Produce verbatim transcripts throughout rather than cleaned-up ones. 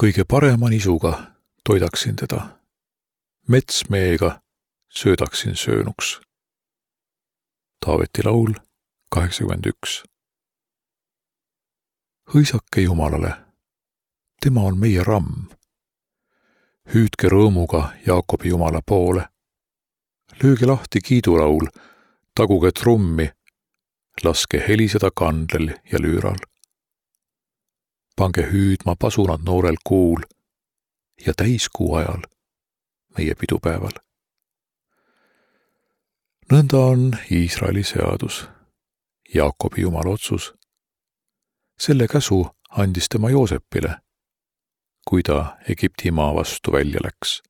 Kõige parema nisuga toidaksin teda. Metsmeega söödaksin söönuks. Taaveti laul kaheksakümmend üks. Hõisake Jumalale, tema on meie ramm. Hüüdke rõõmuga Jaakobi Jumala poole. Lööge lahti kiidulaul, taguge trummi, laske heliseda kandlel ja lüüral. Pange hüüdma pasunad noorel kuul ja täiskuu ajal, meie pidupäeval. Nõnda on Iisraeli seadus, Jaakobi Jumala otsus. Selle käsu andis tema Joosepile, kui ta Egipti maa vastu välja läks.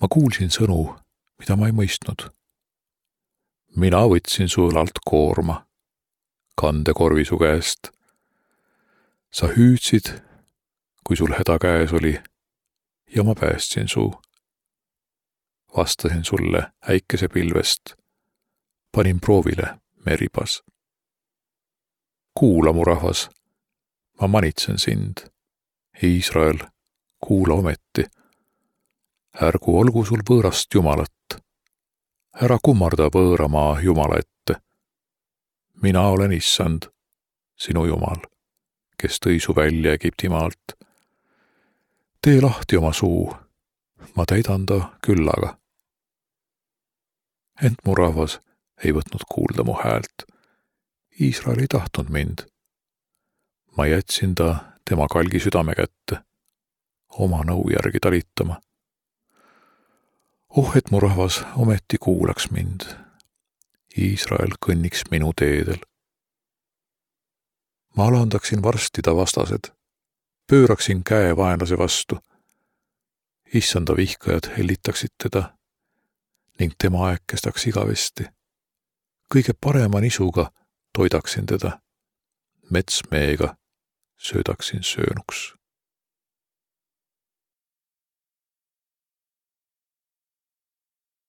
Ma kuulsin sõnu, mida ma ei mõistnud. Mina võtsin su õlalt koorma, kandekorvi su käest. Sa hüüdsid, kui sul häda käes oli, ja ma päästsin su. Vastasin sulle äikesepilvest, panin proovile meribas. Kuula, mu rahvas, ma manitsen sind. Iisrael, kuula ometi. Ärgu olgu sul võõrast Jumalat. Ära kummarda võõramaa Jumala ette. Mina olen Issand, sinu Jumal, kes tõi su välja Egipti maalt. Tee lahti oma suu, ma täidan ta küllaga. Ent mu rahvas ei võtnud kuulda mu häält. Iisrael ei tahtnud mind. Ma jätsin ta tema kalgi südame kätte, oma nõu järgi talitama. Oh, et mu rahvas ometi kuulaks mind. Iisrael kõnniks minu teedel. Ma alandaksin varsti ta vastased, pööraksin käe vaenlase vastu. Issanda vihkajad hellitaksid teda ning tema aeg kestaks igavesti. Kõige parema nisuga toidaksin teda, metsmeega söödaksin söönuks.